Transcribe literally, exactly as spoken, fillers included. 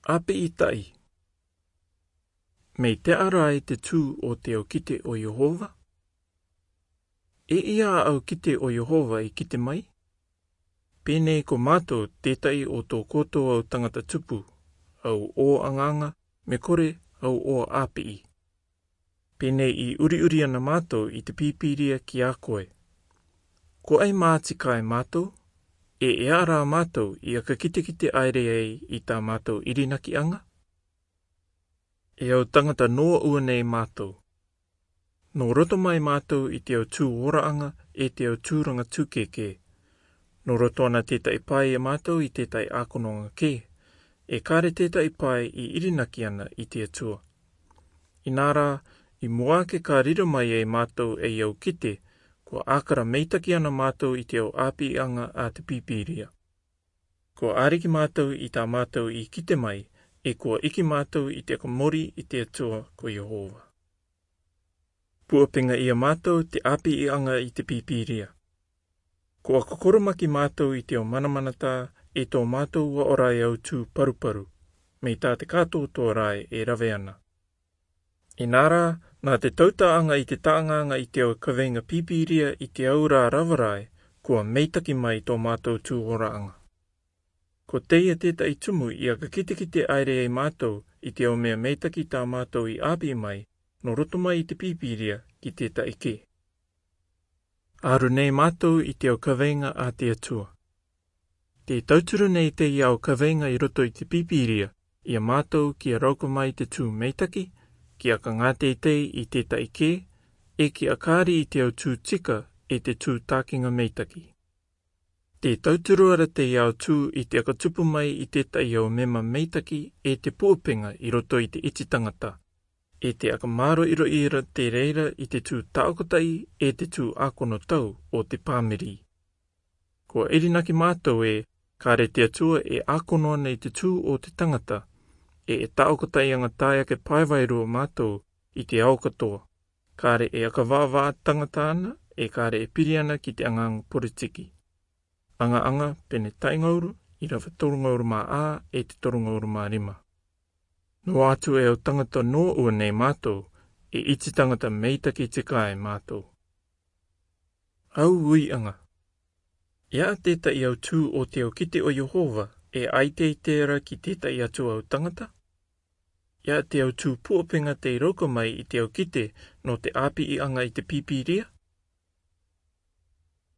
Api'i ta'i. Mei te'a rai te tu o te au kite o Iehova? E ia a au kite o Iehova i kite mai? Penei ko matou teta'i o to kotou au tagata tupu, au o anganga, me kore au o api'i. Penei i uriuri ana matou i te Bibilia ki a koe. Ko ai mati kai matou, e e ara matou i aka kitekite aire ai i ta matou irinaki'anga? E au tagata noa ua nei matou. No roto mai matou i te au tu ora'anga e te au turanga tukeke. No roto ana teta'i pae ia matou i teta'i akononga ke. E kare teta'i pae i irinaki ana i te Atua. Inara, i mua ake ka riro mai ai matou e au kite, kua akara meitaki ana matou i te au api'i'anga a te Bibilia. Kua ariki matou i ta matou i kite mai, e kua iki matou i te aka mori i te Atua ko Iehova. Pu'apenga ia matou te api'i'anga i te Bibilia. Kua kokoromaki matou i te au manamanata e to matou ua ora e au tu paruparu, mei ta te katoatoa rai e rave ana. Inara, na te tauta'anga i te ta'anganga i te au kaveinga Bibilia i te au ra ravarai, kua meitaki mai to matou tu ora'anga. Ko teia teta'i tumu i aka kitekite aire ai matou i te au mea meitaki ta matou i api'i mai, no roto mai i te Bibilia ki teta'i ke. Aru nei matou i te au kaveinga a te Atua. Te tauturu nei teia au kaveinga i roto i te Bibilia, ia matou kia rauka mai te tu meitaki, kia ka nga teitei i teta'i ke, e kia kari i te au tu tika, e te tu takinga meitaki. Te tauturu ara teia au tu i te aka tupu mai i teta'i au mema meitaki, e te pu'apenga i roto i te iti tagata. E te aka maro iro ira te reira i te tu ta'okata'i, e te tu akono tau o te pamiri. Kua irinaki matou e, kare te Atua e akono ana i te tu o te tagata, e e ta'okata'i'anga tae ake pae vairua matou i te ao katoa, kare e aka va'ava'a tagata ana, e kare e piri ana ki te anganga poritiki. Anga'anga pene ta'ingauru, irava tolungauru ma a, e te tolungauru ma rima. No atu e au tagata no ua nei matou, e iti tagata meitaki tika ai matou. Au ui'anga. Ia teta'i au tu o te au kite o Iehova, e ai teitei ra ki teta'i atu au tagata? Ia te au tu pu'apenga te rauka mai i te au kite no te api'i'anga i te Bibilia?